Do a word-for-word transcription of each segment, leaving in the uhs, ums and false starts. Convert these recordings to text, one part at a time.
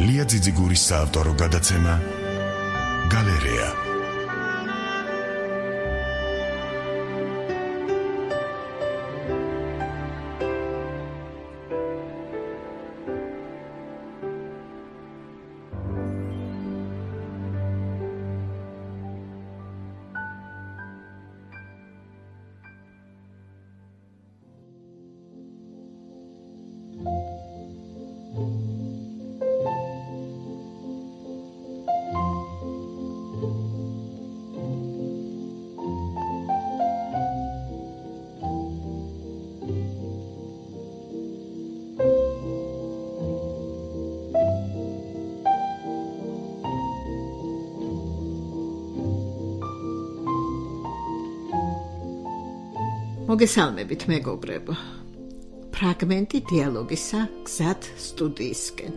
ლია ძიძიგურის საავტორო გადაცემა გალერეა. მოგესალმებით მეგობრებო. ფრაგმენტი დიალოგისა გზად სტუდიისკენ.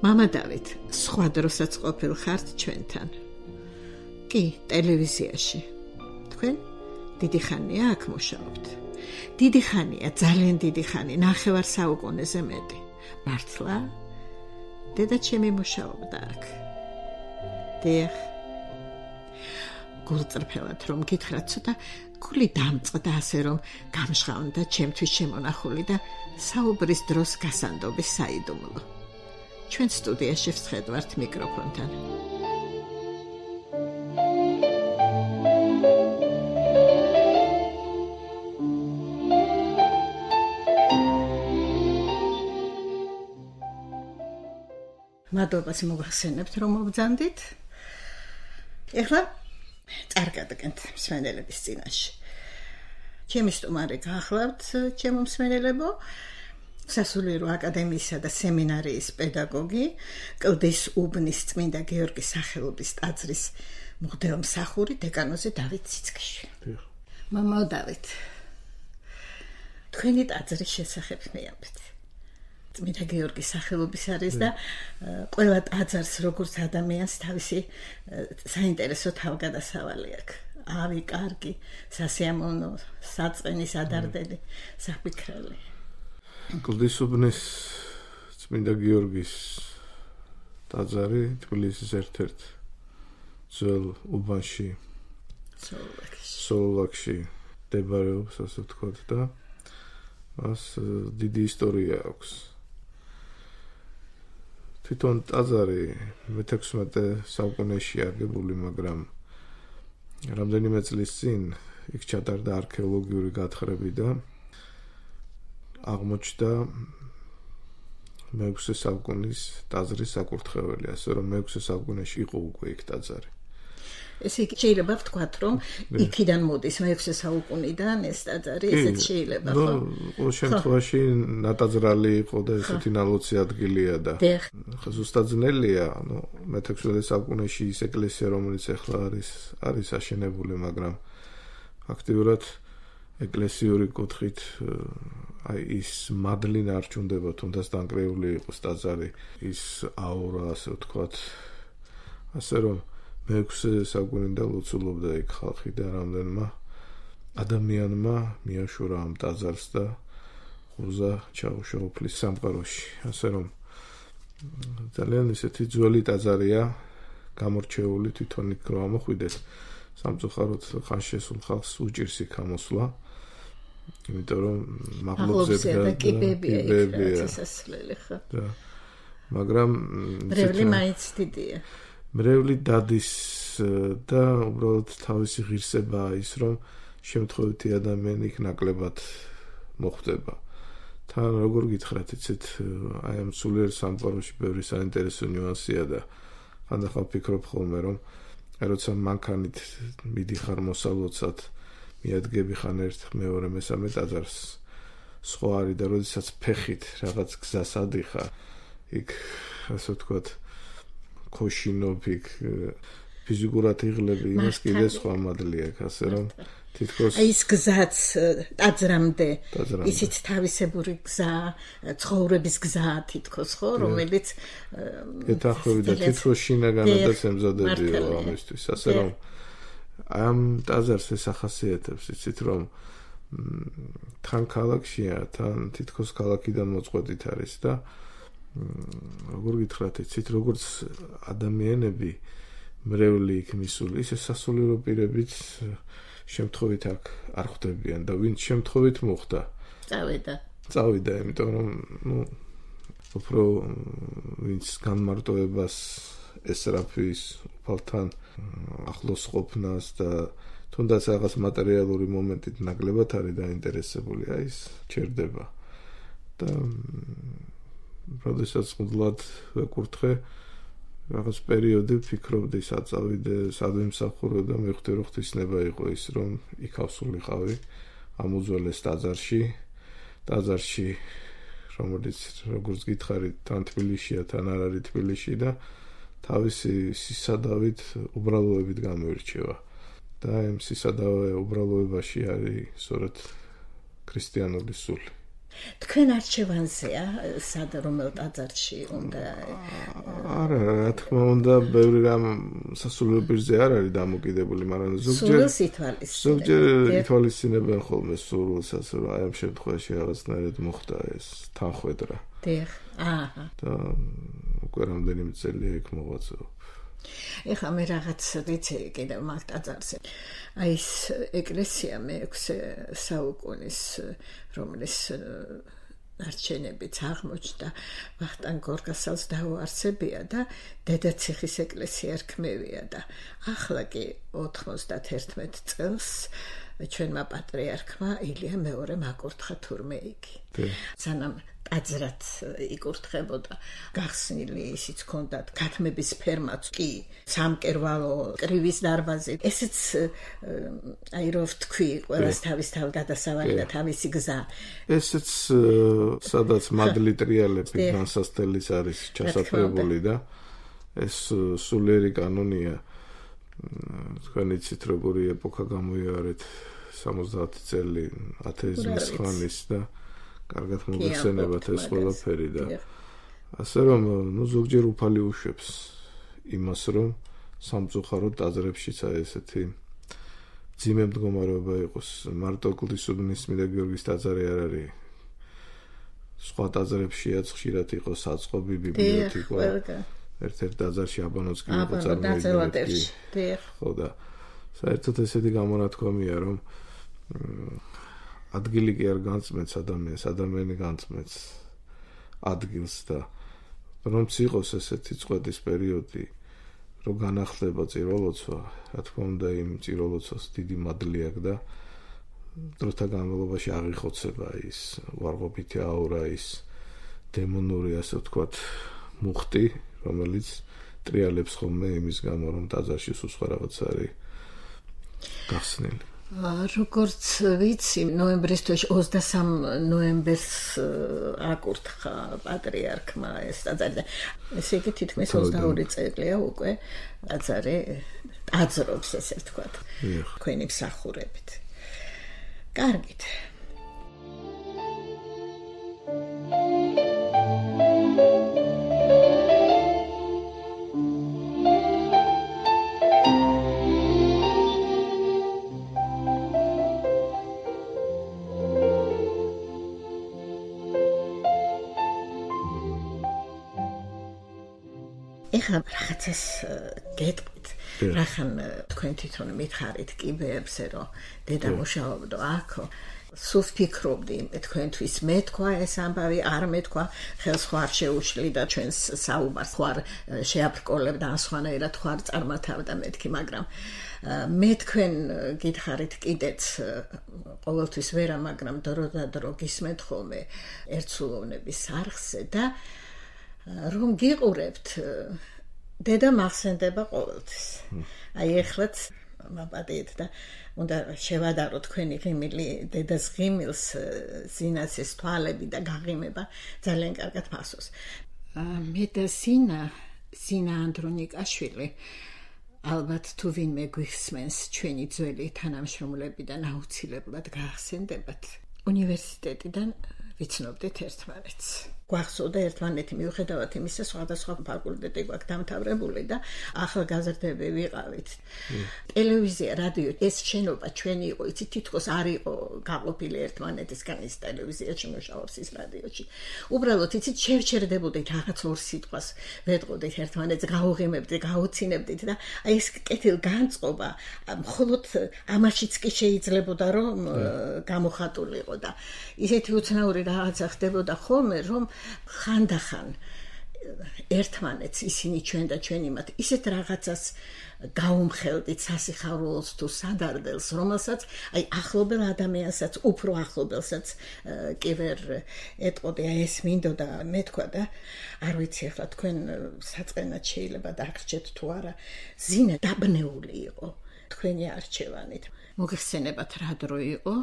მამა დავით, სხვა დროსაც ყოფილ ხართ ჩვენთან. კი, ტელევიზიაში. თქვენ დიდი ხანია აქ მუშაობთ. დიდი ხანია, ძალიან დიდი ხანი, ნახევარ საუკუნეზე მეტი. მართლა? დედა ჩემი მუშაობდა აქ. დიახ. გულწრფელად რომ გითხრათ, ცოტა გული დამწყდა ასე რომ გამჟღავნდა ჩემთვის შემონახული და საუბრის დროს გასანდობის საიდუმლო. ჩვენ სტუდიაში ვსხედვართ მიკროფონთან. მადლობას მოგახსენებთ რომ მოგძანდით. ეხლა წარგადგენთ მსმენელების წინაშე. ჩემი სტუმარი გახლავთ, ჩემო მსმენელებო, სასულიერო აკადემიისა და სემინარიის პედაგოგი, კლდის უბნის წმინდა გიორგის სახელობის ტაძრის მღვდელმსახური დეკანოზი დავით ციცქიშვილი. მამაო დავით, თქვენი ტაძრის შესახებ მეამბეთ. წმინდა გიორგის სახელობის არის და ყველა ტაძარს როგორც ადამიანს თავისი საინტერესო თავგადასავალი აქვს. ავი, კარგი, სასიამოვნო, საწყენი, სადარდელი, საფიქრელი. კლდის უბნის წმინდა გიორგის ტაძარი თბილისის ერთ-ერთ ძველ უბანში, სოლოლაკში მდებარეობს, ასე ვთქვათ, და მას დიდი ისტორია აქვს. თვითონ ტაძარი მეთექვსმეტე საუკუნეში აგებული, მაგრამ რამდენიმე წლის წინ იქ ჩატარდა არქეოლოგიური გათხრები და აღმოჩნდა მეექვსე საუკუნის ტაძრის საკურთხეველი, ასე რომ მეექვსე საუკუნეში იყო უკვე იქ ტაძარი. ესე იგი შეიძლება ვთქვათ, რომ იქიდან მოდის მეექვსე საუკუნიდან ეს ტაძარი, ესეც შეიძლება, ხო? ნუ, შემთხვევაში ნატაძრალი იყო და ესეთი ნალოცი ადგილია და ზუსტად ძნელია, ნუ მეთექვსმეტე საუკუნეში ის ეკლესია, რომელიც ახლა არის, არის აშენებული, მაგრამ ფაქტიურად ეკლესიური კუთხით აი ის მადლი ნარჩუნდება, თუნდაც დანგრეული იყოს ტაძარი, ის აურა, ასე ვთქვათ, ასე რომ მეექვსე საუკუნიდან ლოცულობდა იქ ხალხი და რამდენმა ადამიანმა მიაშურა ამ ტაძარს და ხუზა ჩაუშვა უფლის სამყაროში. ასე რომ ძალიან ისეთი ძველი ტაძარია, გამორჩეული, თვითონ იქ რო ამოხვიდეს, სამწუხაროდ ხან შესულ ხალხს უჭირს იქ ამოსვლა, იმიტომ რომ მაღლობზე და კიბებია იქ სასასვლელი, ხო? მაგრამ მრევლი მაინც დიდია. მრევლი დადის და უბრალოდ თავისი ღირსებაა ის, რომ შემთხვევითი ადამიანი იქ ნაკლებად მოხვდება. თან როგორ გითხრათ, იცით, აი ამ სულიერ სამყაროში ბევრი საინტერესო ნიუანსია და ხანდახან ვფიქრობ ხოლმე, რომ როცა მანქანით მიდიხარ მოსალოცად, მიადგები ხან ერთ, მეორე, მესამე ტაძარს, სხვა არის და როდესაც ფეხით რაღაც გზას ადიხარ, იქ ასე ვთქვათ, ქოშინობ იქ ფიზიკურად იღლები, იმას კიდე სხვა მადლი აქვს, ასე რომ თითქოს ის გზაც ტაძრამდე, ისიც თავისებური გზა, ცხოვრების გზა თითქოს, ხო, რომელიც ეთახვევი და თითქოს შინაგანადაც ემზადებიო ამისთვის, ასე რომ ამ ტაძარს ეს ახასიათებს, იცით, რომ თან ქალაქშია, თან თითქოს ქალაქიდან მოწყვეტით არის და როგორ გითხრათ, იცით, როგორც ადამიანები მრევლი იქ მისული, ისე სასულიერო პირებიც შემთხვევით აქ არ ხვდებიან და ვინც შემთხვევით მოხდა. წავიდა. წავიდა, იმიტომ რომ, ну, უფრო ვინც განმარტოებას ესწრაფვის უფალთან ახლოს ყოფნას და თუნდაც რაღაც მატერიალური მომენტით ნაკლებად არის დაინტერესებული, აი ეს ჩერდება. და როდესაც მუდლად ვეკურთხე რაღაც პერიოდი ვფიქრობდი საწავიდე, სად ვიმსახურო და მივხვდი რომ ღვთისნება იყო ის, რომ იქ ავსულიყავი ამ უძველეს ტაძარში, ტაძარში, რომელიც როგორც გითხარით, თან თბილისშია, თან არ არის თბილისში და თავისი სისადავით, უბრალოებით გამოირჩევა. და იმ სისადავე უბრალოებაში არის სწორედ ქრისტიანული სული. თქვენ არჩევანზეა სად რომელ ტაძარში უნდა? არა, რა თქმა უნდა, ბევრი რამ სასულიერო პირზე არ არის დამოკიდებული, მაგრამ ზოგჯერ ზოგჯერ ითვალისწინებენ ხოლმე სულსაც, რომ აი ამ შემთხვევაში რაღაცნაირად მოხდა ეს თანხვედრა. დიახ. აჰა. და უკვე რამდენიმე წელია იქ მოღვაწეობ. ეხლა მე რაღაც ვიცი კიდევ მაგ ტაძარზე. აი ეს ეკლესია მეექვსე საუკუნის, რომლის არჩენებიც აღმოჩნდა ვახტანგ გორგასალს დაუარსებია და დედაციხის ეკლესია რქმევია და ახლა კი ოთხმოცდაერთმეტ წელს ჩვენმა პატრიარქმა ილია მეორე მაკურთხა თურმე იგი. სანამ ტაძრად იკურთხებოდა, გახსნილი ისიც ჰქონდათ, გათმების ფერმაც კი, სამკერვალო, კრივის დარბაზი. ესეც აი რო ვთქვი, ყველას თავის თავ გადასავალი და თავისი გზა. ესეც სადაც მადლი ტრიალები განსასწრელის არის ჩასაფრებული და ეს სულიერი კანონია. თქვენ იცით როგორი ეპოქა გამოიარეთ სამოცდაათი წელი ათეიზმის ხანის და კარგად მოგეხსენებათ ეს ყველაფერი და ასე რომ ნუ ზოგჯერ უფალი უშვებს იმას რომ სამწუხაროდ ტაძრებშიც აი ესეთი ძიმე მდგომარეობა იყოს. მარტო კლდისუბნის წმინდა გიორგის ტაძარი არ არის, სხვა ტაძრებშიაც ხშირად იყო საწყობი, ბიბლიოთეკა, ერთ-ერთ ტაძარში აბანოც კი იყო წარმოიდგინეთ. ხო და საერთოდ ესეთი გამონათქვამია რომ ადგილი კი არ განწმენს ადამიანს, ადამიანი განწმენს ადგილს და რომც იყოს ესეთი წყვეტის პერიოდი, რომ განახლდება წიროლოცვა, რა თქმა უნდა იმ წიროლოცვას დიდი მადლი აქვს და დროთა განმავლობაში აღიხოცება ის უარყოფითი აურა, ის დემონური, ასე ვთქვათ, მუხტი, რომელიც ტრიალებს ხოლმე იმის გამო, რომ ტაძარში სულ სხვა რაღაც არის გახსნილი. როგორც ვიცი, ნოემბრის თვეში ოცდასამ ნოემბერს აკურთხა პატრიარქმა ეს ტაძარი და ესე იგი თითქმის ოცდაორი წელია უკვე ტაძარი ტაძრობს, ესე ვთქვათ, თქვენი მსახურებით. კარგით. ეხლა რაღაცას გეტყვით, რახან თქვენ თვითონ მითხარით კიბეებზე, რომ დედა მუშაობდა აქ, სულ ვფიქრობდი თქვენთვის მეთქვა ეს ამბავი, არ მეთქვა, ხელს ხوار შეუშლი და ჩვენს საუბარს ხوار შეაბრკოლებდა, ან სხვანაირად ხوار წარმათავდა მეთქი, მაგრამ მე თქვენ გითხარით კიდეც ყოველთვის ვერა, მაგრამ დრო და დრო გისმენთ ხოლმე ერთსულოვნების არხზე და რომ გიყურებთ, დედა მახსენდება ყოველთვის. აი ეხლაც მაპატიეთ და უნდა შევადარო თქვენი ღიმილი დედას ღიმილს, ზინაცის თვალები და გაღიმება ძალიან კარგად მახსოვს. მე და ზინა, ზინა ანდრონიკაშვილი, ალბათ თუ ვინმე გვიხსმენს ჩვენი ძველი თანამშრომლებიდან აუცილებლად გაახსენდებათ. უნივერსიტეტიდან ვიცნობდით ერთმანეთს. გვახსოვდა ერთმანეთი მიუხედავად იმისა, სხვადასხვა ფაკულტეტი გვაქვს დამთავრებული და ახალგაზრდები ვიყავით. ტელევიზია, რადიო, ეს შენობა ჩვენი იყო, იცით, თითქოს არ იყო გაყოფილი ერთმანეთისგან ის ტელევიზიაში მუშაობს ის რადიოში. უბრალოდ იცით, შევჩერდებოდით რაღაც ორ სიტყვას, ვეტყოდით ერთმანეთს, გაუღიმებდით, გაუცინებდით და აი ეს კეთილგანწყობა მხოლოდ ამაშიც კი შეიძლებოდა რომ გამოხატულიყო და ისეთი უცნაური რაღაცა ხდებოდა ხოლმე რომ ხანდახან ერთმანეთს ისინი ჩვენ და ჩვენ იმათ ისეთ რაღაცას გაუმხელდით სასიხარულოს თუ სადარდელს რომელსაც აი ახლობელ ადამიანსაც უფრო ახლობელსაც კი ვერ ეტყოდი აი ეს მინდოდა მე თქვა და არ ვიცი ახლა თქვენ საწყენად შეიძლება დაგრჩეთ თუ არა ზინა დაბნეული იყო თქვენი არჩევანით მოგეხსენებათ რა დრო იყო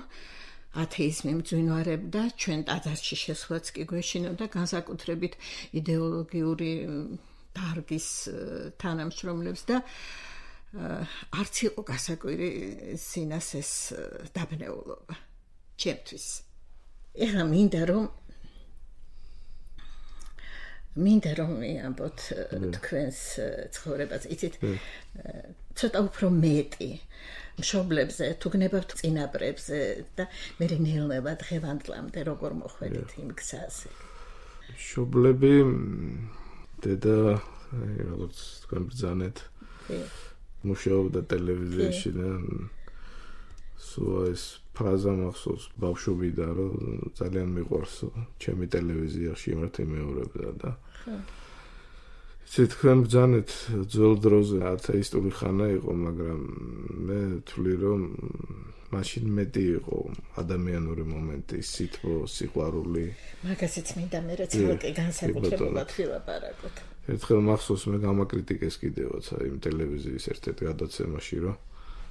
ათეიზმი მძვინვარებდა ჩვენ ტაძარში შესვლაც კი გვეშინოდა განსაკუთრებით იდეოლოგიური დარგის თანამშრომლებს და არც იყო გასაკვირი ზინას ეს დაბნეულობა ჩემთვის ეხლა მინდა რომ მინდა რომ მიამბოთ თქვენს ცხოვრებას იცით ცოტა უფრო მეტი მშობლებზე თუ გნებავთ წინაპრებზე და მე ნელა დღევანდლამდე როგორ მოხვედით იმ გზაზე მშობლები დედა როგორც თქვენ ბრძანეთ მუშაობდა ტელევიზიაში და სულ ეს ფრაზა მახსოვს ბავშვობიდან რომ ძალიან მიყვარს ჩემი ტელევიზიაში იმართი მეორებდა და ისე თქვენ ბრძანეთ ძველ დროზე ათეისტური ხანა იყო მაგრამ მე ვთვლი რომ მაშინ მეტი იყო ადამიანური მომენტი სითბო სიყვარული მაგასიც მინდა მე რაც ხალხი განსაკუთრებულად ვილაპარაკოთ ერთხელ მახსოვს მე გამაკრიტიკეს კიდევაც იმ ტელევიზიის ერთ-ერთ გადაცემაში რომ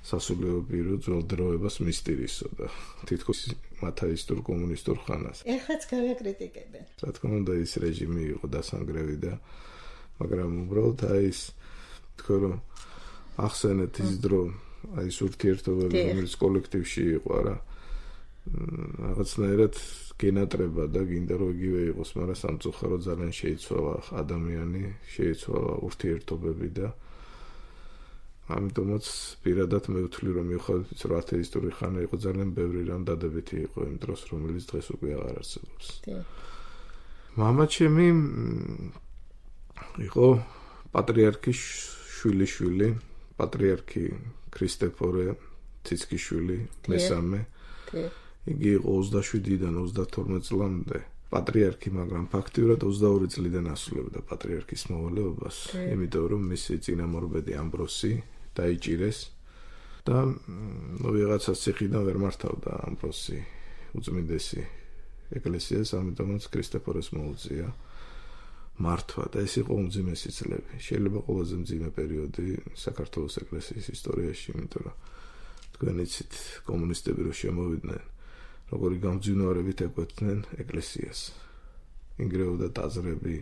სასულიერო პირო ძველ დროებას მისტირისო და თითქოს ათეისტურ კომუნისტურ ხანას ეხლაც გავაკრიტიკებენ რა თქმა უნდა ის რეჟიმი იყო დასანგრევი და მაგრამ უბრალოდ აი ეს თქო რომ ახსენეთ ის დრო აი ეს ურთიერთობები რომელიც კოლექტივში იყო რა რაღაცნაირად გენატრება და გინდა რომ იგივე იყოს მაგრამ სამწუხაროდ ძალიან შეიცვალა ადამიანი შეიცვალა ურთიერთობები და ამიტომაც პირადად მე ვთვლი რომ მიუხედავად რომ ათეისტური ხანა იყო ძალიან ბევრი რამ დადებითი იყო იმ დროს რომელიც დღეს უკვე აღარ არსებობს მამა ჩემი იყო პატრიარქის შვილიშვილი პატრიარქი ქრისტეფორე ციცკიშვილი მესამე იგი იყო ოცდაშვიდიდან ოცდათორმეტ წლამდე პატრიარქი მაგრამ ფაქტიურად ოცდაორი წლიდან ასრულებდა პატრიარქის მოვალეობას იმიტომ რომ მისი წინამორბედი ამბროსი დაიჭირეს და ვიღაცა ციხიდან ვერ მართავდა ამბროსი უწმინდესი ეკლესიას ამიტომაც ქრისტეფორეს მოუწია მართვა და ეს იყო უმძიმესი წლები შეიძლება ყველაზე მძიმე პერიოდი საქართველოს ეკლესიის ისტორიაში იმიტომ რომ თქვენ იცით კომუნისტები რო შემოვიდნენ როგორი გამძვინვარებით ეკვეთნენ ეკლესიას ინგრეოდა ტაძრები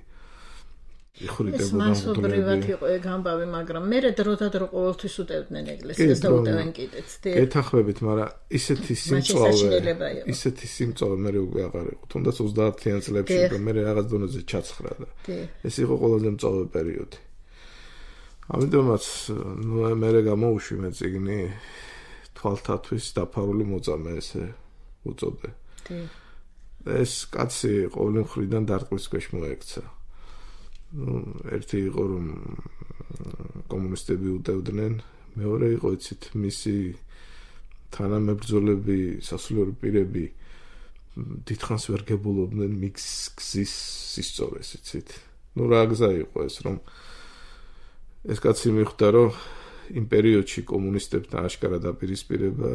იხურიდებოდა მასობრივად იყო ეგ ამბავი მაგრამ მე დროდადრო დრო ყოველთვის უტევდნენ ეკლესიას და უტევენ კიდეც ეთახმებით მაგრამ ისეთი სიმწვავე ისეთი სიმწვავე მე უკვე აღარ იყო თუნდაც ოცდაათიან წლებში და მე რაღაც დონეზე ჩაცხრა და ეს იყო ყველაზე მწვავე პერიოდი ამიტომაც მე გამოუშვი მე წიგნი თვალთათვის დაფარული მოწამე ესე უწოდე ეს კაცი ყოველი მხრიდან დარტყმის ქვეშ მოექცა ну ერთი იყო რომ კომუნისტები უტევდნენ მეორე იყო იცით მისი თანამებრძოლები სასულიერო პირები დიდხანს ვერ გებულობდნენ მიგზის სისწორეს იცით ну რა გზა იყო ეს რომ ეს კაცი მიხვდა რომ იმ პერიოდში კომუნისტებთან აშკარად აპირისპირება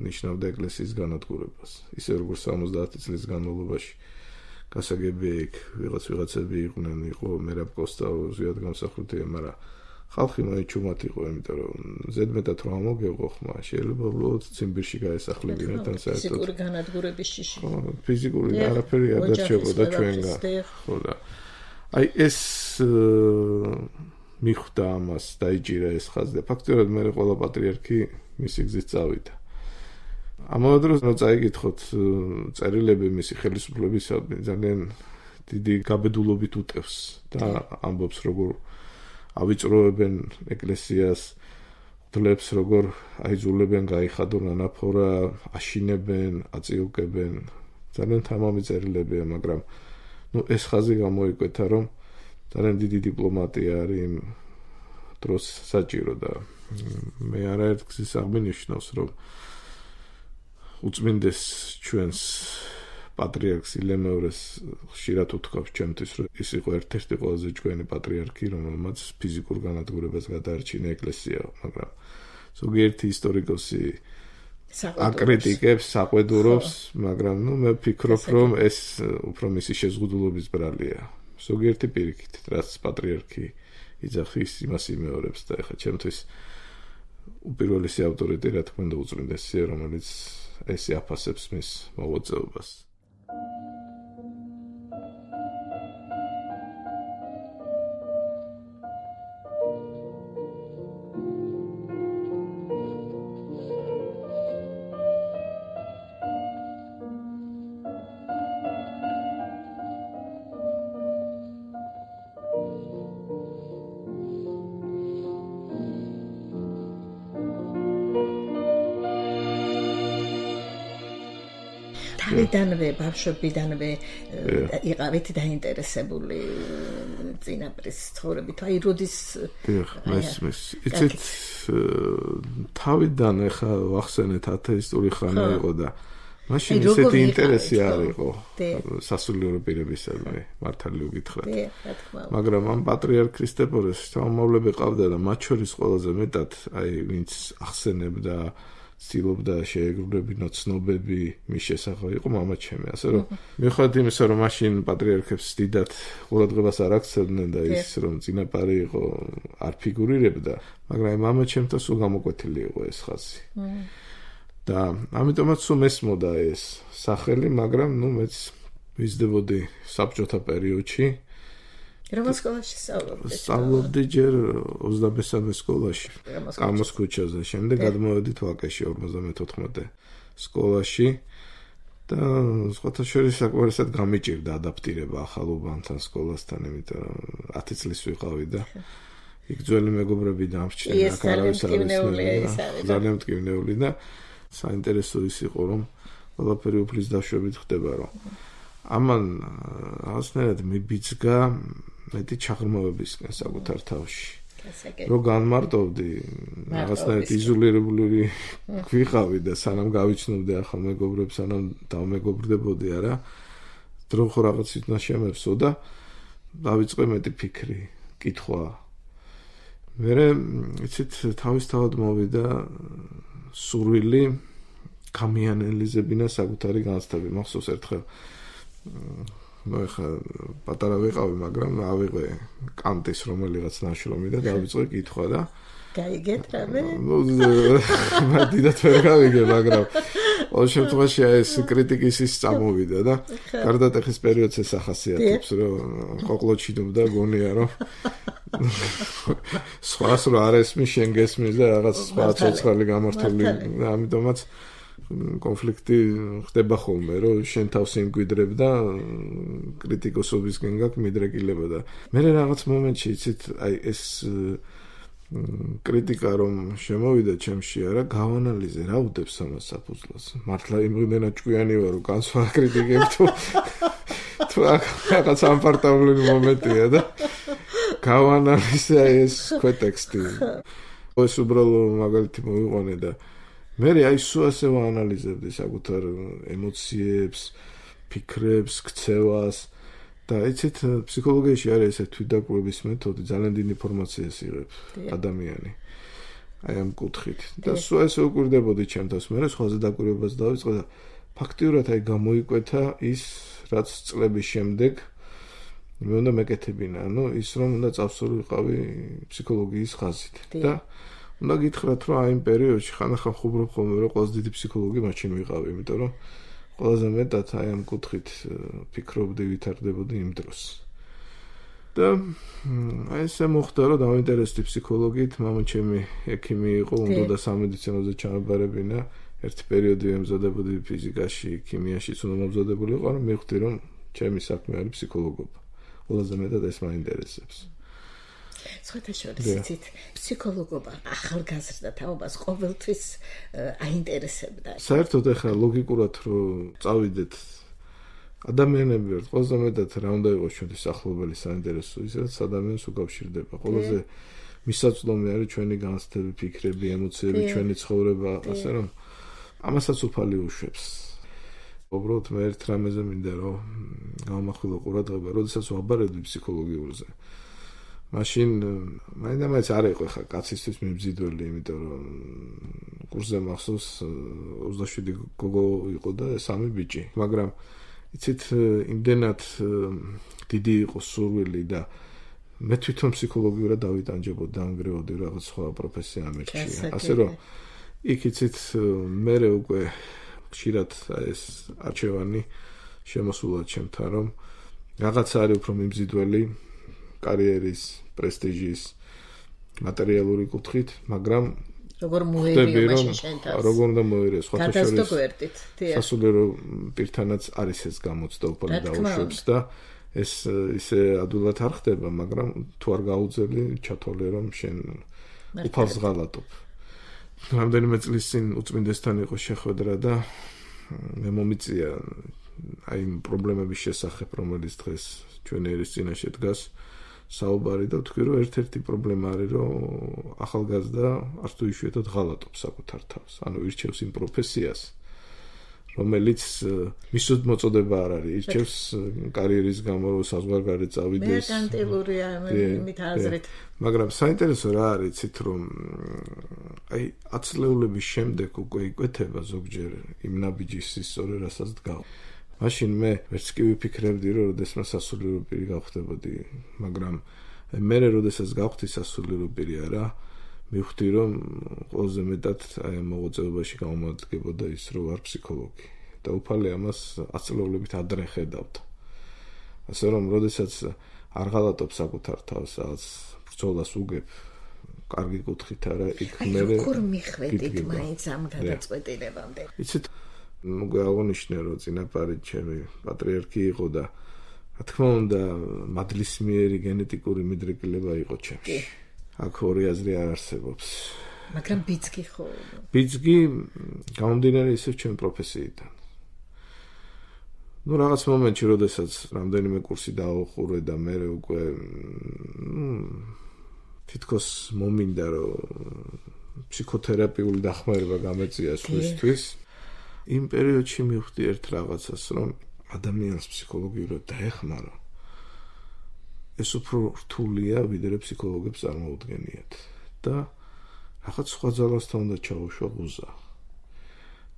ნიშნავდა ეკლესიის განადგურებას ისე როგორც სამოცდაათი წლის განმავლობაში გასაგებია იქ ვიღაც ვიღაცები იყვნენ იყო მერაბ კოსტაო ზიად გამსახურდია მაგრამ ხალხი მაინც ჩუმად იყო იმიტომ რომ ზედმეტად რომ ამოგეღო ხმა შეიძლება უბრალოდ ციმბირში გაესახლებინათ ან საერთოდ ფიზიკური განადგურების შიში ფიზიკური არაფერი არ დარჩებოდა ჩვენგან ხო და აი ეს მიხვდა ამას დაიჭირა ეს ხაზი და ფაქტობრივად მე ყველა პატრიარქი მისი გზით წავიდა ამავე დროს რომ წაიკითხოთ წერილები მისი ხელისუფლებისადმი ძალიან დიდი გაბედულობით უტევს და ამბობს როგორ ავიწროებენ ეკლესიას, ღვთლებს როგორ აიძულებენ გაიხადონ ანაფორა, აშინებენ, აწიუკებენ. ძალიან თამამი წერილებია, მაგრამ ნუ ეს ხაზი გამოიკვეთა, რომ ძალიან დიდი დიპლომატია არის იმ დროს საჭირო და მე არაერთ გზის აღმინიშნავს, რომ უწმინდეს ჩვენს პატრიარქს ილემევრეს ხშირად უთქვამს ჩემთვის, რომ ის იყო ერთ-ერთი ყველაზე ჭკვიანი პატრიარქი, რომელმაც ფიზიკურ განადგურებას გადაარჩინა ეკლესია, მაგრამ ზოგიერთი ისტორიკოსი აკრიტიკებს, საყვედურობს, მაგრამ ნუ მე ვფიქრობ, რომ ეს უფრო მისი შეზღუდულობის ბრალია. ზოგიერთი პირიქით, რაც პატრიარქი იძახის, იმას იმეორებს და ეხლა ჩემთვის უპირველესი ავტორიტეტი, რა თქმა უნდა, უწმინდესია, რომელიც ესე აფასებს მის მოღვაწეობას. თავიდანვე, ბავშვობიდანვე იყავით დაინტერესებული წინაპრის ცხოვრებით, აი როდის მესმის. იცით, თავიდან ახლა ვახსენეთ ათეისტური ხანა იყო და მაშინ ისეთი ინტერესი არ იყო სასულიერო პირებისადმი, მართალი ვგითხრათ. მაგრამ ამ პატრიარქ ქრისტეფორეს შთამომავლები ყავდა და მათ შორის ყველაზე მეტად აი ვინც ახსენებდა ცდილობდა შეეგრულებინა ცნობები მის შესახებ იყო მამაჩემი, ასე რომ მიუხედავად იმისა, რომ მაშინ პატრიარქებს დიდად ყურადღებას არ აქცევდნენ და ის რომ წინაპარი იყო არ ფიგურირებდა, მაგრამ მამაჩემთან სულ გამოკვეთილი იყო ეს ხაზი. და ამიტომაც სულ მესმოდა ეს სახელი, მაგრამ ნუ მეც ვიზრდებოდი საბჭოთა პერიოდში. რომელ სკოლაში სწავლობდით? სწავლობდი ჯერ ოცდამესამე სკოლაში, კამოს ქუჩაზე, შემდეგ გადმოვედით ვაკეში ორმოცდამეთოთხმეტე სკოლაში და სხვათა შორის საკმარისად გამიჭირდა ადაპტირება ახალ უბანთან, სკოლასთან, იმიტომ რომ ათი წლის ვიყავი და იქ ძველი მეგობრები დამრჩნენ, აქ არავის არ ისმენია, ძალიან მტკივნეული და საინტერესო ის იყო, რომ ყველაფერი უფლის დაშვებით ხდება, რომ ამან რაღაცნაირად მიბიძგა მეტი ჩაღრმავებისკენ საკუთარ თავში. რომ განმარტოვდი, რაღაცნაირად იზოლირებული ვიყავი და სანამ გავიცნობდი ახალ მეგობრებს, სანამ დავმეგობრდებოდი, არა, დრო ხო რაღაც თვითონ შემევსო და დავიწყე მეტი ფიქრი, კითხვა. მერე, იცით, თავისთავად მოვიდა სურვილი გამიანელიზებინა საკუთარი განცდები. მახსოვს ერთხელ ну ეხა პატარა ვიყავი, მაგრამ ავიღე კანტის რომელიღაც ნაშრომი და დავიწყე კითხვა და გაიგეთ რამე? ну მადიდათ ვერ გავიგე, მაგრამ ყოველ შემთხვევაში ეს კრიტიკის ის წამოვიდა და გარდატეხის პერიოდს ეს ახასიათებს, რომ ყოყლოჩინობდა გონია, რომ სხვას რო არ ესმის, შენ გესმის და რაღაც სხვა ცოცხალი გამართული, ამიტომაც კონფლიქტი ხდება ხოლმე, რომ შენ თავს იმკვიდრებ და კრიტიკოსობისკენ გაქვს მიდრეკილება და მე რაღაც მომენტში იცით, აი ეს კრიტიკა რომ შემოვიდა ჩემში, არა, გავანალიზე რა უდებს ამას საფუძვლად. მართლა იმდენად ჭკვიანი ვარ, რომ განს ვაკრიტიკებ თუ თუ რაღაც ამპარტავლული მომენტია და გავანალიზე ეს ქვეტექსტი. ეს უბრალოდ მაგალითი მოვიყვანე და მე აი სულ ასე ვაანალიზებდი საკუთარ ემოციებს, ფიქრებს, ქცევას და იცით, ფსიქოლოგიაში არის ესე თვითდაკვრების მეთოდი, ძალიან დიდი ინფორმაციას იღებს ადამიანი. აი ამ კუთხით. და სულ ასე უკვირდებოდი ჩემთავს, მე სხვაზე დაკვირვებას დავიწყე და ფაქტიურად აი გამოიკვეთა ის, რაც წლების შემდეგ მე უნდა მეკეთებინა, ანუ ის რომ უნდა წავსულიყავი ფსიქოლოგიის ხაზით და უნდა გითხრათ, რომ აი იმ პერიოდში ხანახან ხუბრობ ხოლმე, რომ ყველაზე დიდი ფსიქოლოგი მაშინ ვიყავი, იმიტომ რომ ყველაზე მეტად აი ამ კუთხით ფიქრობდი, ვითარდებოდი იმ დროს. და აი ესე მოხდა, რომ დავინტერესდი ფსიქოლოგიით, მამაჩემი ექიმი იყო, უნდა და სამედიცინოზე ჩამებარებინა. ერთი პერიოდი ემზადებოდი ფიზიკაში, ქიმიაში, უნდა მომზადებული იყო, რომ მივხვდი, რომ ჩემი საქმე არის ფსიქოლოგობა. ყველაზე მეტად ეს მაინტერესებს. სხვათა შორის იცით, ფსიქოლოგობა ახალგაზრდა თაობას ყოველთვის აინტერესებდა. საერთოდ ახლა ლოგიკურად რო წავიდეთ ადამიანები ვართ, ყველაზე მეტად რა უნდა იყოს ჩვენი ახლობელი საინტერესო, ის რაც ადამიანს უკავშირდება. ყველაზე მისაწვდომი არის ჩვენი განცდები, ფიქრები, ემოციები, ჩვენი ცხოვრება, ასე რომ ამასაც უფალი უშვებს. უბრალოდ მე ერთ რამეზე მინდა რომ გავამახვილო ყურადღება, როდესაც ვაბარებდი ფსიქოლოგიურზე. მაშინ მაინდა-მაინც არ იყო ხა კაცისთვის მიმზიდველი, იმიტომ რომ კურსზე მახსოვს ოცდაშვიდი გოგო იყო და სამი ბიჭი, მაგრამ იცით იმდენად დიდი იყო სურვილი და მე თვითონ ფსიქოლოგიურად დავიტანჯებოდი, დაანგრევოდი რაღაც სხვა პროფესია ამერჩია. ასე რომ იქ იცით მე უკვე ხშირად ეს არჩევანი შემოსულა ჩემთან, რომ რაღაცა არის უფრო მიმზიდველი კარიერის, პრესტიჟის, მატერიალური კუთხით, მაგრამ როგორ მოერია მაშინ შენთან? როგორ უნდა მოერია სხვათა შორის? გადასტო გვერდით, დიახ. სასულიერო პირთანაც არის ეს გამოცდა უფალი დაუშვებს და ეს ისე ადვილად არ ხდება, მაგრამ თუ არ გაუძელი, ჩათვალე რომ შენ უფალს ღალატობ. რამდენიმე წლის წინ უწმინდესთან იყო შეხვედრა და მე მომიწია აი იმ პრობლემების შესახებ, რომელიც დღეს ჩვენი ერის წინაშე დგას საუბარი და ვთქვი, რომ ერთ-ერთი პრობლემა არის, რომ ახალგაზრდა არც თუ იშვიათად ღალატობს საკუთარ თავს. ანუ ირჩევს იმ პროფესიას, რომელიც მისოდ მოწოდება არ არის, ირჩევს კარიერის გამო, რომ საზღვარგარეთ წავიდეს. მერკანტილურია იმით აზრით. მაგრამ საინტერესო რა არის, იცით, რომ აი ათწლეულების შემდეგ უკვე იკვეთება ზოგჯერ იმ ნაბიჯის სწორე რასაც დგავ. მაშინ მე ვერც კი ვიფიქრებდი, რომ როდესაც სასულიერო პირი გავხდებოდი, მაგრამ მე როდესაც გავხდი სასულიერო პირი არა, მივხვდი, რომ ყველაზე მეტად აი მოღვაწეობაში გამომადგებოდა ის, რომ ვარ ფსიქოლოგი და უფალი ამას ათწლეულებით ადრე ხედავდა. ასე რომ, როდესაც არ ღალატობ საკუთარ თავს, რაღაც ბრძოლას უგებ, კარგი კუთხით არა, იქ მე როგორ მიხვედით მაინც ამ გადაწყვეტილებამდე? იცით, მოგე აღნიშნე, რომ წინაპარი ჩემი პატრიარქი იყო და რა თქმა უნდა, მადლისმიერი გენეტიკური მიდრეკილება იყო ჩემში. აქ ორი აზრი არ არსებობს. მაგრამ ბიძგი ხო? ბიძგი გამომდინარე ისევ ჩემი პროფესიიდან. ну რაღაც მომენტში, როდესაც რამდენიმე კურსი დავუყურე და მე უკვე თითქოს მომინდა, რომ ფსიქოთერაპიული დახმარება გამეწია სხვისთვის. იმ პერიოდში მივხვდი ერთ რაღაცას, რომ ადამიანს ფსიქოლოგიურად დაეხმარო. ეს უფრო რთულია, ვიდრე ფსიქოლოგებს წარმოუდგენიათ. და რაღაც სხვა ძალასთან უნდა ჩაუშვა ღუზა.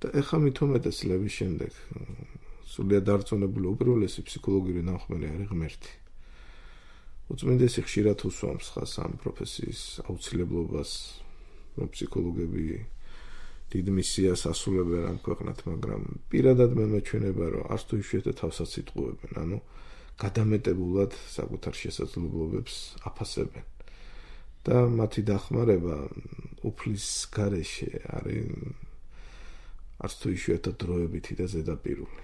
და ეხლა მithumetes წლების შემდეგ სულიად დარწმუნებული უპირველესი ფსიქოლოგიური ნახმარი არის ღმერთი. უწმინდესი ხშირად უსვამს ხას ამ პროფესიის აუცილებლობას, რომ ფსიქოლოგები დიდ მისიას ასრულებენ ამ ქვეყნად, მაგრამ პირადად მე მეჩვენება, რომ არც თუ იშვიათად თავსაც იტყუებენ, ანუ გადამეტებულად საკუთარ შესაძლებლობებს აფასებენ. და მათი დახმარება უფლის გარეშე არის არც თუ იშვიათად დროებითი და ზედაპირული.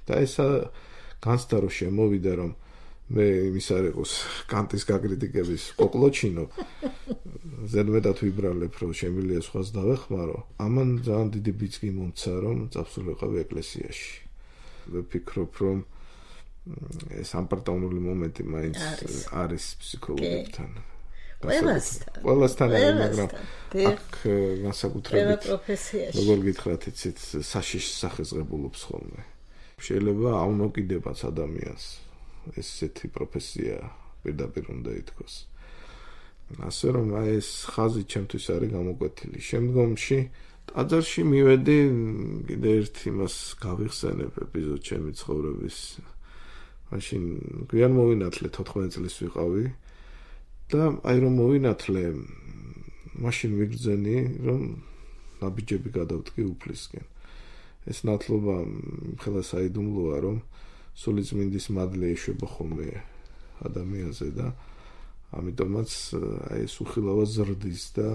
და ესა განცდა რომ შემოვიდა, რომ მე იმის არ იყოს კანტის გაკრიტიკების ყოყლოჩინო ზედმეტად ვიბრალებ, რომ შემიძლია სხვას დავეხმარო. ამან ძალიან დიდი ბიძგი მომცა, რომ წავსულიყავი ეკლესიაში. ვფიქრობ, რომ ეს ამპარტაუნული მომენტი მაინც არის ფსიქოლოგებთან. ყველასთან. ყველასთან, მაგრამ აქ განსაკუთრებით როგორ გითხრათ, იცით, საშიშ სახესღებულობს ხოლმე. შეიძლება აუნოკიდებაც ადამიანს ესეთი პროფესია პირდაპირ უნდა ითქვას. ასე რომ აი ეს ხაზი ჩემთვის არის გამოკვეთილი. შემდგომში ტაძარში მივედი, კიდე ერთ იმას გავიხსენებ ეპიზოდ ჩემი ცხოვრების. მაშინ გვიან მოვინათლე თოთხმეტ წლის ვიყავი და აი რომ მოვინათლე, მაშინ ვიგრძენი, რომ ნაბიჯები გადავდგი უფლისკენ. ეს ნათლობა ხელა საიდუმლოა, რომ სულიწმინდის მადლი ეშვება ხოლმე ადამიანზე და ამიტომაც აი ეს უხილავად ზრდის და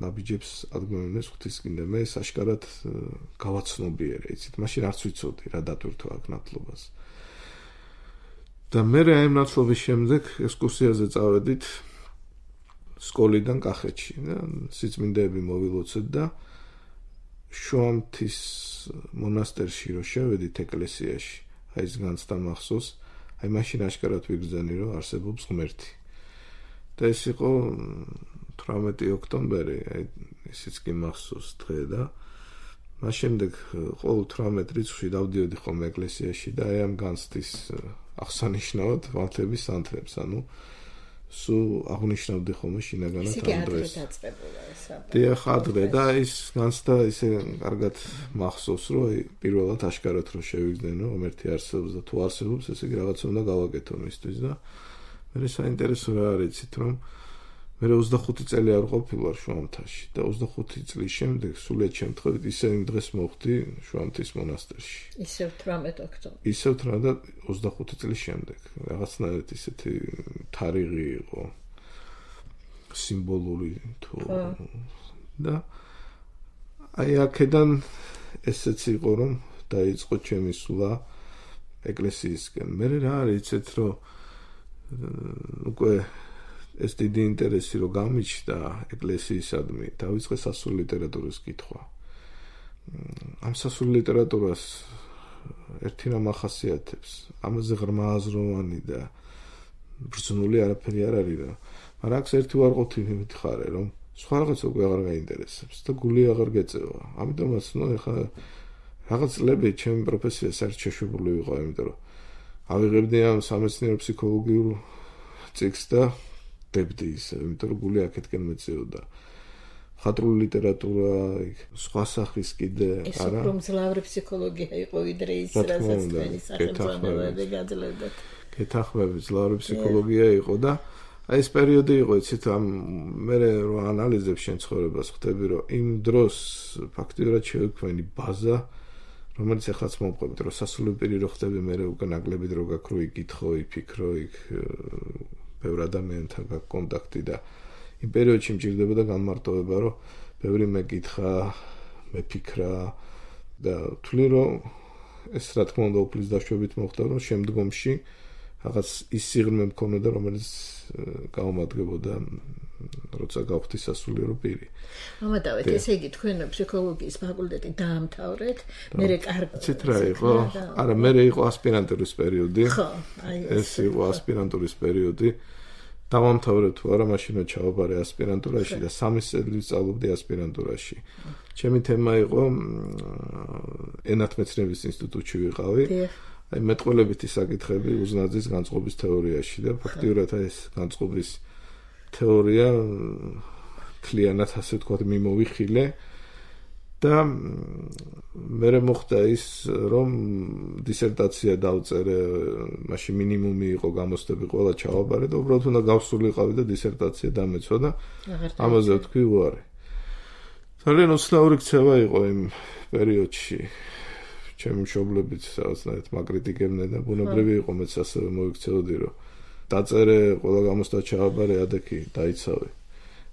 ნაბიჯებს ადგმევინებს ღვთისკენ და მე საშკარად გავაცნობიერე, იცით, მაშინ არც ვიცოდი რა დატვირთვა აქ ნათლობას. და მე აი ნაცვლობის შემდეგ ექსკურსიაზე წავედით სკოლიდან კახეთში და სიწმინდეები მოვილოცეთ და შუამთის მონასტერში რო შევედით ეკლესიაში, აი ეს განცდა მახსოვს, აი მაშინ აშკარად ვიგრძანი რომ არსებობს ღმერთი. და ეს იყო თვრამეტი ოქტომბერი, აი ისიც კი მახსოვს დღე და მას შემდეგ ყოველ თვრამეტ რიცხვში დავდიოდი ხოლმე ეკლესიაში და აი ამ განცდის აღსანიშნავად ვართლების სანთლებს, ანუ სულ აღნიშნავდი ხოლმე შინაგანად ამ დროს. დიახ, ადრე და ის განცდა ისე კარგად მახსოვს, რომ აი პირველად აშკარად რომ შევიგრძნო, ღმერთი არსებობს და თუ არსებობს, ესე იგი რაღაცა უნდა გავაკეთო მისთვის და მე საინტერესო რა არის, იცით რომ მე ოცდახუთი წელი არ ყოფილვარ შუამთაში და ოცდახუთი წლის შემდეგ სულიად შემთხვევით ისე იმ დღეს მოხვდი შუამთის მონასტერში. ისევ თვრამეტ ოქტომბერს. ისევ თვრამეტ ოცდახუთი წლის შემდეგ. რაღაცნაირად ისეთი თარიღი იყო სიმბოლური თუ და აი აქედან ესეც იყო რომ დაიწყო ჩემი სულა ეკლესიისკენ. მე რა არის იცით რომ უკვე ეს დიდი ინტერესი რო გამიჩნდა ეკლესიისადმი, დავიწყე სასულიერო ლიტერატურის კითხვა. ამ სასულიერო ლიტერატურას ერთი რამ ახასიათებს, ამაზე ღრმა აზროვანი და ბრძნული არაფერი არ არის რა. მაგრამ აქ ერთი უარყოფითი მითხარე, რომ სხვა რაღაც უკვე აღარ გაინტერესებს და გული აღარ გეწევა. ამიტომაც ნუ ეხლა რაღაც წლები ჩემი პროფესია საერთოდ შეშვებული ვიყო, იმიტომ რომ ავიღებდი ამ სამეცნიერო ფსიქოლოგიურ წიგნს და დებდი ისე, იმიტომ რომ გული აქეთკენ მეწეოდა. ხატრული ლიტერატურა, სხვა სახის კიდე, არა? ეს უფრო მძლავრი ფსიქოლოგია იყო ვიდრე ის, რასაც თქვენი სახელმწიფოები გაძლევდათ. გეთანხმები, მძლავრი ფსიქოლოგია იყო და აი ეს პერიოდი იყო, იცით, ამ მე რო ანალიზებ შენ ცხოვრებას, ხვდები რომ იმ დროს ფაქტიურად შევიქმნი ბაზა, რომელიც ახაც მომყვებით, რომ სასულიერო პირი რო ხდები, მე უკვე ნაკლები დრო გაქვს რო იკითხო, იფიქრო, იქ ბევრ ადამიანთან გაქვს კონტაქტი და იმ პერიოდში მჭირდებოდა განმარტოვება, რომ ბევრი მეკითხა, მეფიქრა და თვლი რომ ეს რა თქმა უნდა უფლის დაშვებით მოხდა, რომ შემდგომში რაღაც ის სიღრმე მქონოდა, რომელიც გაუმადგებოდა როცა გავხდი სასულიერო პირი. ამათავეთ, ესე იგი თქვენ ფსიქოლოგიის ფაკულტეტი დაამთავრეთ, მერე კარგი. ცით რა იყო? არა, მერე იყო ასპირანტურის პერიოდი. ხო, აი ეს იყო ასპირანტურის პერიოდი. დავამთავრე თუ არა, მაშინ ჩავაბარე ასპირანტურაში და სამი წელი სწავლობდი ასპირანტურაში. ჩემი თემა იყო ენათმეცნიერების ინსტიტუტში ვიყავი. აი მეტყველებითი საკითხები უზნაძის განწყობის თეორიაში და ფაქტიურად ეს განწყობის თეორია კლიანად ასე ვთქვათ მიმოვიხილე და მე მოხდა ის რომ დისერტაცია დავწერე, მაშინ მინიმუმი იყო გამოცდები ყველა ჩავაბარე და უბრალოდ უნდა გავსულიყავი და დისერტაცია დამეცვა და ამაზე ვთქვი უარი. ძალიან უცნაური ქცევა იყო იმ პერიოდში. ჩემი მშობლებიც რაღაცნაირად მაკრიტიკებდნენ და ბუნებრივი იყო მეც ასევე მოიქცეოდი რომ დაწერე ყველა გამოცდა ჩავაბარე ადექი დაიცავე.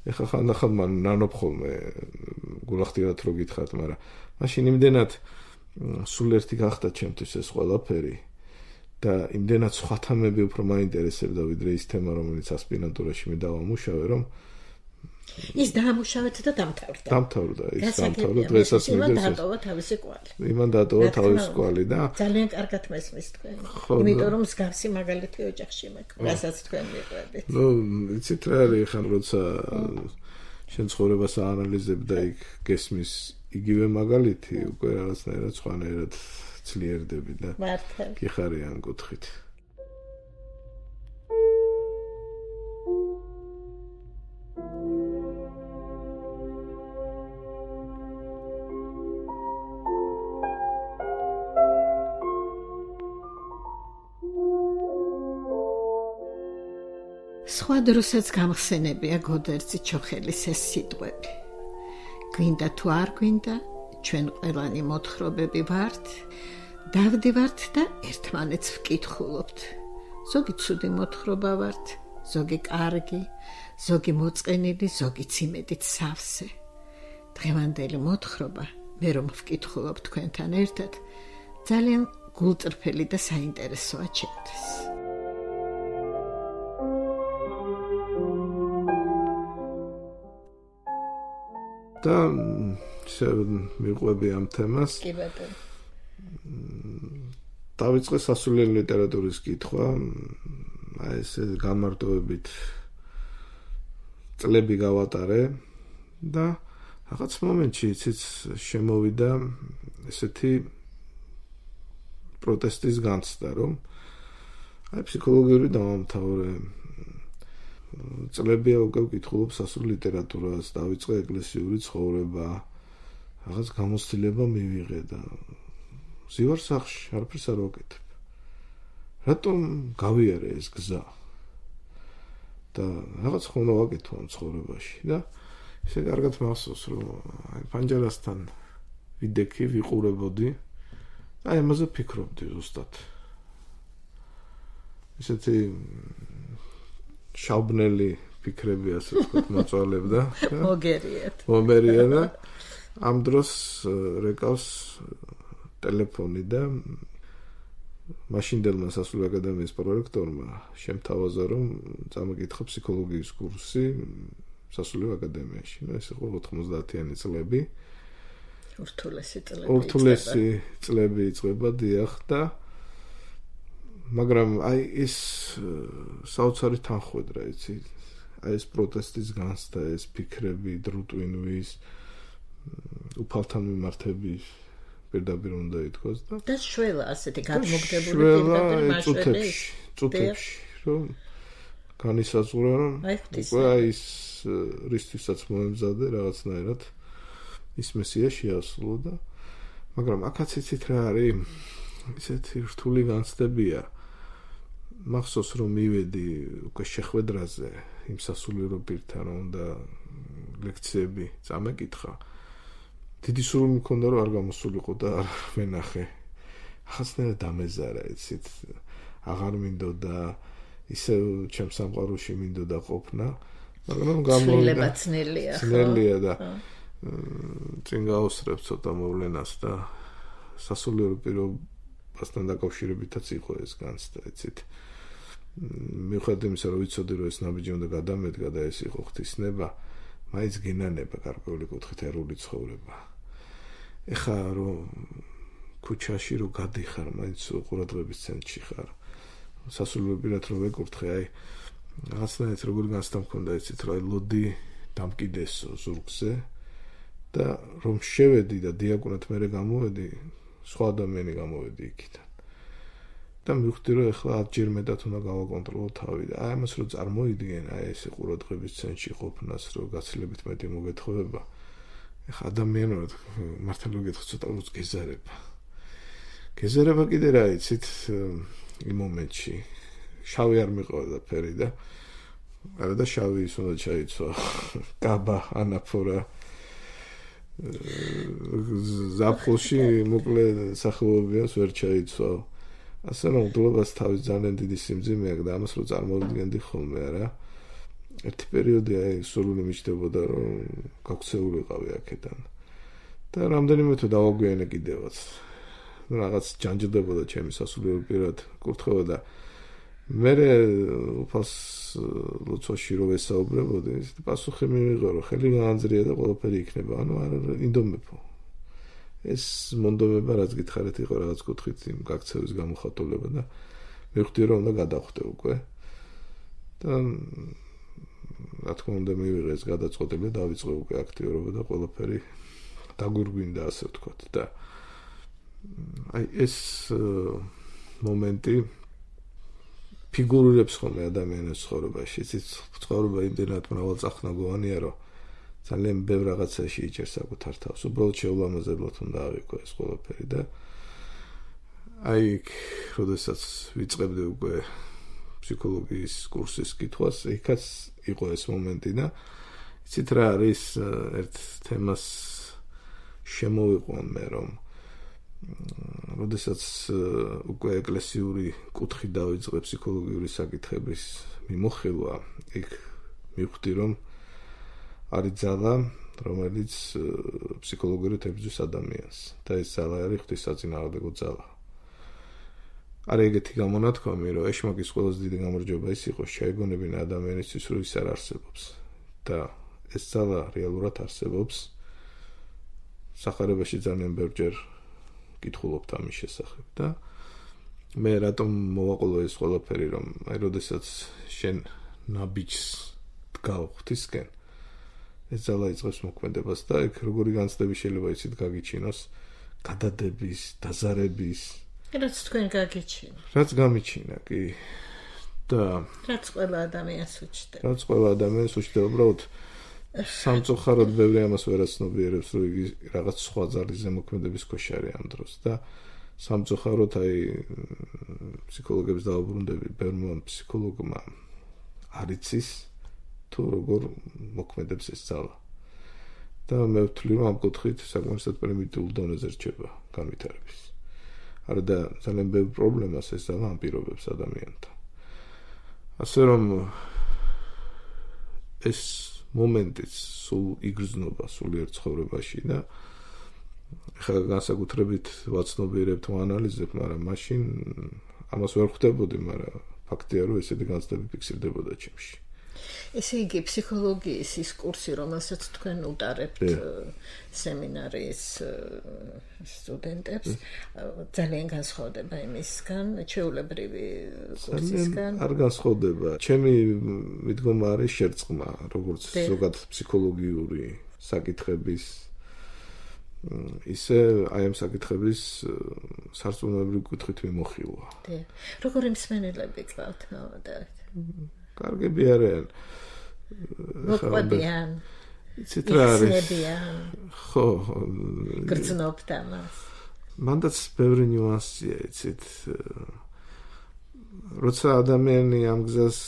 ეხლა ხანდახან მან ნანობ ხოლმე გულახდიათ რო გითხათ, მაგრამ მაშინ იმდენად სულ ერთი გახდა ჩემთვის ეს ყველაფერი და იმდენად სხვა თემები უფრო მაინტერესებდა ვიდრე ის თემა, რომელიც ასპირანტურაში მე დავამუშავე, რომ ის დაამუშავეთ და დამთავრდა. დამთავრდა, ის დამთავრდა, დღესაც მიდევს. იმან დატოვა თავისი კვალი. იმან დატოვა თავისი კვალი და ძალიან კარგად მესმის თქვენ. იმიტომ რომ მსგავსი მაგალითი ოჯახში მექნა, რასაც თქვენ მიყვებით. ნუ, იცით რა არის ხან როცა შენ ცხოვრებას აანალიზებ და იქ გესმის იგივე მაგალითი, უკვე რაღაცნაირად სხვანაირად ძლიერდები და გიხარი ამ კუთხით. სხვა დროსაც გამხსენებია გოდერძი ჩოხელის ეს სიტყვები. გვინდა თუ არ გვინდა, ჩვენ ყველანი მოთხრობები ვართ, დავდივართ და ერთმანეთს ვკითხულობთ. ზოგი ცუდი მოთხრობა ვართ, ზოგი კარგი, ზოგი მოწყენილი, ზოგი იმედით სავსე. დღევანდელი მოთხრობა, მე რომ ვკითხულობ თქვენთან ერთად, ძალიან გულწრფელი და საინტერესოა ჩემთვის. და მიყვები ამ თემას. კი ბატონო. დავიწყე სასულიერო ლიტერატურის კითხვა, აი ეს გამარტოებით წლები გავატარე და რაღაც მომენტში იცით შემოვიდა ესეთი პროტესტის განცდა, რომ აი ფსიქოლოგიური დამამთავრე წლებია უკვე ვკითხულობ სასულიერო ლიტერატურას, დავიწყე ეკლესიური ცხოვრება, რაღაც გამოცდილება მივიღე და ზივარ სახლში, არაფერს არ ვაკეთებ. რატომ გავიარე ეს გზა? და რაღაც ხომ ვაკეთო ამ ცხოვრებაში და ისე კარგად მახსოვს, რომ აი პანჯარასთან ვიდექი, ვიყურებოდი. აი ამაზე ფიქრობდი ზუსტად. ისეთი შავბნელი ფიქრები ასე ვთქვათ მოწვალებდა. მოგერიეთ. მომერია და ამ დროს რეკავს ტელეფონი და მაშინდელმა სასულიერო აკადემიის პრორექტორმა შემთავაზა, რომ წამოკითხა ფსიქოლოგიის კურსი სასულიერო აკადემიაში. ნუ ეს იყო ოთხმოცდაათიანი წლები. ურთულესი წლები. ურთულესი წლები იწყება დიახ და მაგრამ აი ეს საოცარი თანხwebdriver, იცი, აი ეს პროტესტის განცდა, ეს ფიქრები, დრუტვინვის, უფალთან მიმართების პირდაპირ უნდა ითქვას და და შველა ასეთი გადმოგდებული პირდაპირ მასშტაბში, წუთებში, რომ განისაზღვრა, რომ უკვე აი ეს რისთვისაც მოემზადე რაღაცნაირად ის მესია შეასრულო და მაგრამ აქაც იცით რა არის ისეთი რთული განცდებია. მახსოვს რომ მივედი უკვე შეხვედრაზე იმ სასულიერო პირთან, რომ და ლექციები წამეკითხა. დიდი სურვილი მქონდა რომ არ გამოსულიყო და არ ვენახე. ახასნაირად დამეზარა, იცით, აღარ მინდოდა ისე ჩემ სამყაროში მინდოდა ყოფნა, მაგრამ გამოვიდა. ძნელია. ძნელია და წინ გაუსწრებ ცოტა მოვლენას და სასულიერო პირობასთან დაკავშირებითაც იყო ეს განცდა, იცით. მიუხედავად იმისა, რომ ვიცოდი, რომ ეს ნაბიჯი უნდა გადამედგა და ეს იყო ღვთისნება, მაინც გინანება გარკვეული კუთხით ერული ცხოვრება. ეხა რომ ქუჩაში რომ გადიხარ, მაინც ყურადღების ცენტრში ხარ. სასულიერო პირად რომ ვეკურთხე, აი რაღაცნაირად როგორი განცდა მქონდა, იცით, რომ აი ლოდი დამკიდესო ზურგზე და რომ შევედი და დიაკვნად მერე გამოვედი, სხვა ადამიანი გამოვედი იქიდან. და მივხვდი, რომ ეხლა ათჯერ მეტად უნდა გავაკონტროლო თავი და აი ამას რომ წარმოიდგენ, აი ეს ყურადღების ცენტრში ყოფნას, რომ გაცილებით მეტი მოგეთხოვება. ეხლა ადამიანურად მართლა გითხო ცოტა როც გეზარება. გეზარება კიდე რა იცით იმ მომენტში. შავი არ მიყვარდა ფერი და არა და შავი ის უნდა ჩაიცვა. კაბა, ანაფორა ზაფხულში მოკლე სახელობებს ვერ ჩაიცვალ. ასე რომ დულობას თავის ძალიან დიდი სიმძიმე აქვს და ამას რო წარმოვიდგენდი ხოლმე არა. ერთი პერიოდი აი სურვილი მიჩნდებოდა რომ გაქცეულიყავი აქედან. და რამდენიმე თუ დავაგვიანე კიდევაც. რაღაც ჯანჯდებოდა ჩემი სასულიერო პირად კურთხევა და მე უფალს ლოცვაში რო ვესაუბრებოდი, ის პასუხი მივიღო, რომ ხელი გაანძრია და ყველაფერი იქნება. ანუ არ ინდომებო. ეს მონდომება რაც გითხარით იყო რაღაც კუთხით იმ გაქცევის გამოხატულება და მივხვდი რომ უნდა გადავხვდე უკვე. და რა თქმა უნდა მივიღე ეს გადაწყვეტილება და დავიწყე უკვე აქტიურობა და ყველაფერი დაგვირგვინდა ასე ვთქვათ და აი ეს მომენტი ფიგურირებს ხოლმე ადამიანის ცხოვრებაში. იცით, ცხოვრება იმდენად მრავალწახნაგოვანია, რომ ძალიან ბევრ რაღაცაში იჭერს საკუთარ თავს. უბრალოდ შეულამაზებლად უნდა ავიქო ეს ყველაფერი და აი, როდესაც ვიწყებდი უკვე ფსიქოლოგიის კურსის კითხვას, იქაც იყო ეს მომენტი და იცით რა არის ერთ თემას შემოვიყვან მე რომ როდესაც უკვე ეკლესიური კუთხით დავიწყე ფსიქოლოგიური საკითხების მიმოხილვა, იქ მივხვდი რომ არის ძალა, რომელიც ფსიქოლოგიურად ებრძვის ადამიანს და ეს ძალა არის ღვთისაწინააღმდეგო ძალა. არის ეგეთი გამონათქვამი, რომ ეშმაკის ყველაზე დიდი გამარჯვება ის იყო, შეეგონებინა ადამიანისთვის, რომ ის არ არსებობს და ეს ძალა რეალურად არსებობს სახარებაში ძალიან ბევრჯერ კითხულობთ ამის შესახებ და მე რატომ მოვაყოლო ეს ყველაფერი, რომ აი როდესაც შენ ნაბიჯს დგავ ღვთისკენ, ეს ძალა იწყებს მოქმედებას და ეგ როგორი განცდები შეიძლება იცით გაგიჩინოს გადადების, დაზარების, რაც თქვენ გაგიჩინა. რაც გამიჩინა, კი. და რაც ყველა ადამიანს უჩნდება. რაც ყველა ადამიანს უჩნდება, უბრალოდ სამწუხაროდ ბევრი ამას ვერ აცნობიერებს, რომ იგი რაღაც სხვა ძალის ზემოქმედების ქვეშ არის ამ დროს და სამწუხაროდ აი ფსიქოლოგებს დავუბრუნდები, ბევრმა ფსიქოლოგმა არ იცის თუ როგორ მოქმედებს ეს ძალა. და მე ვთვლი, რომ ამ კუთხით საკმარისად პრიმიტიულ დონეზე რჩება განვითარების. არა და ძალიან ბევრ პრობლემას ეს ძალა ამპირობებს ადამიანთან. ასე რომ ეს მომენტიც სულ იგრძნობა სულიერ ცხოვრებაში და ხა განსაკუთრებით ვაცნობიერებთ, ვანალიზებთ, მაგრამ მაშინ ამას ვერ ხვდებოდი, მაგრამ ფაქტია, რომ ესეთი განცდები ფიქსირდებოდა ჩემში. ესე იგი ფსიქოლოგიის ის კურსი, რომელსაც თქვენ უტარებთ სემინარის სტუდენტებს, ძალიან განსხვავდება იმისგან, ჩვეულებრივი კურსისგან? არ განსხვავდება. ჩემი მიდგომა არის შერწყმა, როგორც ზოგად ფსიქოლოგიური საკითხების ისე აი ამ საკითხების სარწმუნოებრივი კუთხით მიმოხილვა. როგორი მსმენელები გყავთ ნამდვილად? კარგები არიან. მოყვებიან. იცით რა არის? ხო, გრძნობთ ამას. მანდაც ბევრი ნიუანსია, იცით. როცა ადამიანი ამ გზას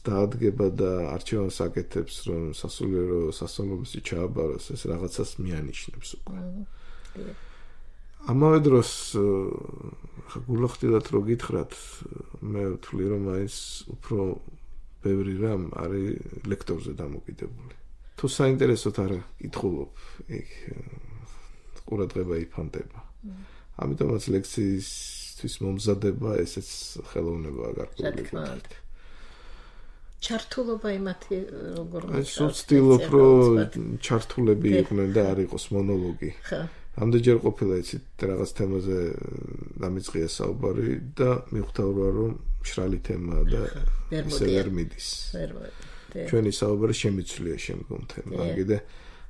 დაადგება და არჩევანს აკეთებს, რომ სასულიერო სასწავლებლებში ჩააბაროს, ეს რაღაცას მიანიშნებს უკვე. ამავე დროს გულახდილად რო გითხრათ, მე ვთვლი, რომ ეს უფრო ბევრი რამ არის ლექტორზე დამოკიდებული. თუ საინტერესოდ არ კითხულობ, იქ ყურადღება იფანტება. ამიტომაც ლექციისთვის მომზადება ესეც ხელოვნებაა გარკვეული. ჩართულობა იმათი როგორ ეს ვცდილობ, რომ ჩართულები იყვნენ და არ იყოს მონოლოგი. ამდენჯერ ყოფილა იცით რაღაც თემაზე დამიწყია საუბარი და მიხვდავდა, რომ მშრალი თემაა და ისე ვერ მიდის. ჩვენი საუბარი შემიცვლია შემდგომ თემამ. კიდე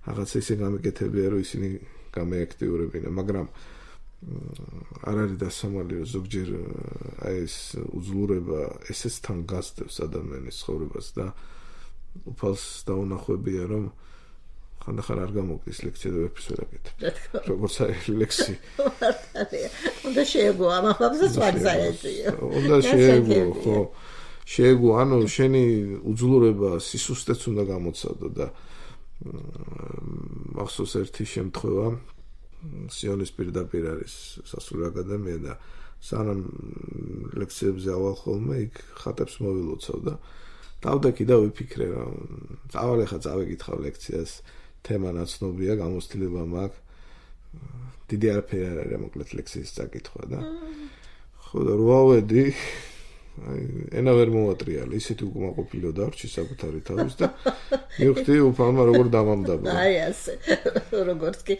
რაღაცა ისე გამიკეთებია, რომ ისინი გამეაქტიურებინა, მაგრამ არ არის დასამალი, რომ ზოგჯერ აი ეს უძლურება ესეც თან გასდევს ადამიანის ცხოვრებას და უფალს დაუნახვებია, რომ ხანდახან არ გამოგდის ლექცია და ვერაფერს ვერ აკეთებ. როგორც არის ლექსი. უნდა შეეგო ამ ამბავსაც მაგზაეცია. უნდა შეეგო, ხო. შეეგო, ანუ შენი უძლურება სისუსტეც უნდა გამოცადო და მახსოვს ერთი შემთხვევა სიონის პირდაპირ არის სასულიერო აკადემია და სანამ ლექციებზე ავალ ხოლმე იქ ხატებს მოვილოცავ და დავდექი და ვიფიქრე რომ წავალ ახლა წავეკითხავ ლექციას თემა ნაცნობია, გამოცდილება მაქვს. დიდი არაფერი არ არის მოკლედ ლექსიის წაკითხვა და ხო და რო ავედი, აი ენა ვერ მოვატრიალე, ისეთი უკმაყოფილო დარჩი საკუთარი თავის და მივხვდი უფალმა როგორ დამამდაბა. აი ასე, როგორც კი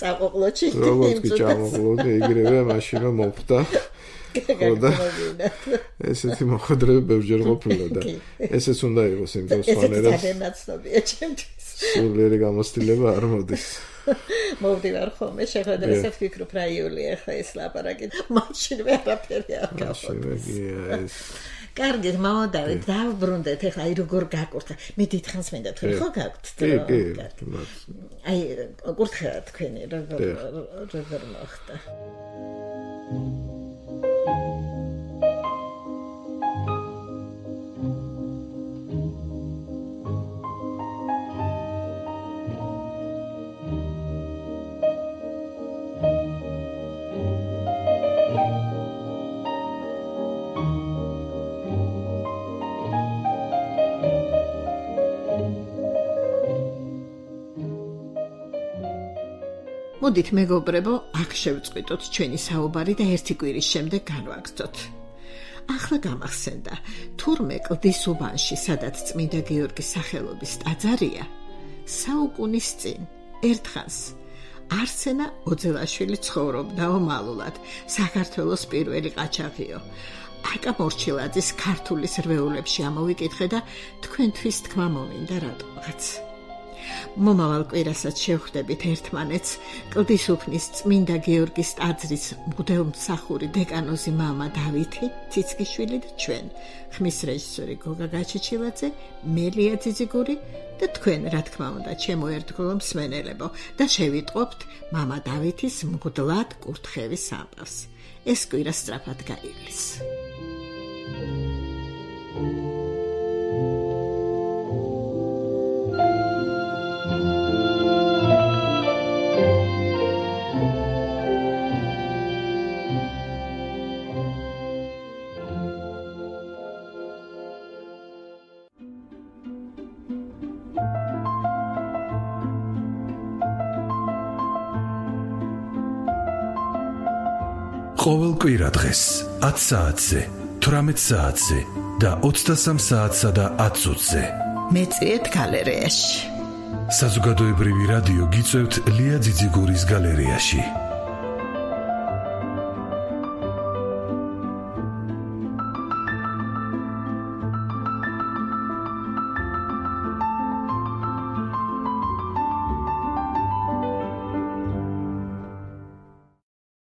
წაყოყლოჩი. როგორც კი ჩამოყლოდი, იგივე მაშინა მოხდა. ხო და ესეთი მოხდრები ბევრჯერ ყოფილა და ესეც უნდა იყოს იმ დროს ფანერას. ეს დანაცნობია ჩემთვის. სულიერი გამოცდილება არ მოდის. მოვდივარ ხოლმე, შეხედრეს ვფიქრობ რა იულია ხა ეს ლაპარაკი. მაშინ ვერაფერი არ გავხსოვს. კარგი, მოვდავით, დავბრუნდეთ, ეხლა აი როგორ გაკურთხა. მე დიდხანს მინდა თქვენ ხო გაქვთ? კი, კი. აი კურთხა თქვენი როგორ როგორ მოხდა. მოდით მეგობრებო, აქ შევწყვიტოთ ჩვენი საუბარი და ერთი კვირის შემდეგ განვაგრძოთ. ახლა გამახსენდა, თურმე კლდის უბანში, სადაც წმინდა გიორგის სახელობის ტაძარია, საუკუნის წინ, ერთხანს, არსენა ოძელაშვილი ცხოვრობდა ομალულად, საქართველოს პირველი ყაჩაღიო. აკა მორჩილაძის ქართულის რვეულებში ამოვიკითხე და თქვენთვის თქმა მომინდა რატომღაც. მომავალ კვირასაც შევხვდებით ერთმანეთს კლდის უფნის წმინდა გიორგის ტაძრის მღვდელმსახური დეკანოზი მამა დავითი ციცკიშვილი და ჩვენ ხმის რეჟისორი გოგა გაჩეჩილაძე, მელია ძიძიგური და თქვენ რა თქმა უნდა ჩემო ერთგულო მსმენელებო და შევიტყობთ მამა დავითის მღვდლად კურთხევის ამბავს. ეს კვირა სწრაფად გაივლის. ყოველ კვირა დღეს ათ საათზე, თვრამეტ საათზე და ოცდასამ საათსა და ათ წუთზე. მეწვიეთ გალერეაში. საზოგადოებრივი რადიო გიწევთ ლია ძიძიგურის გალერეაში.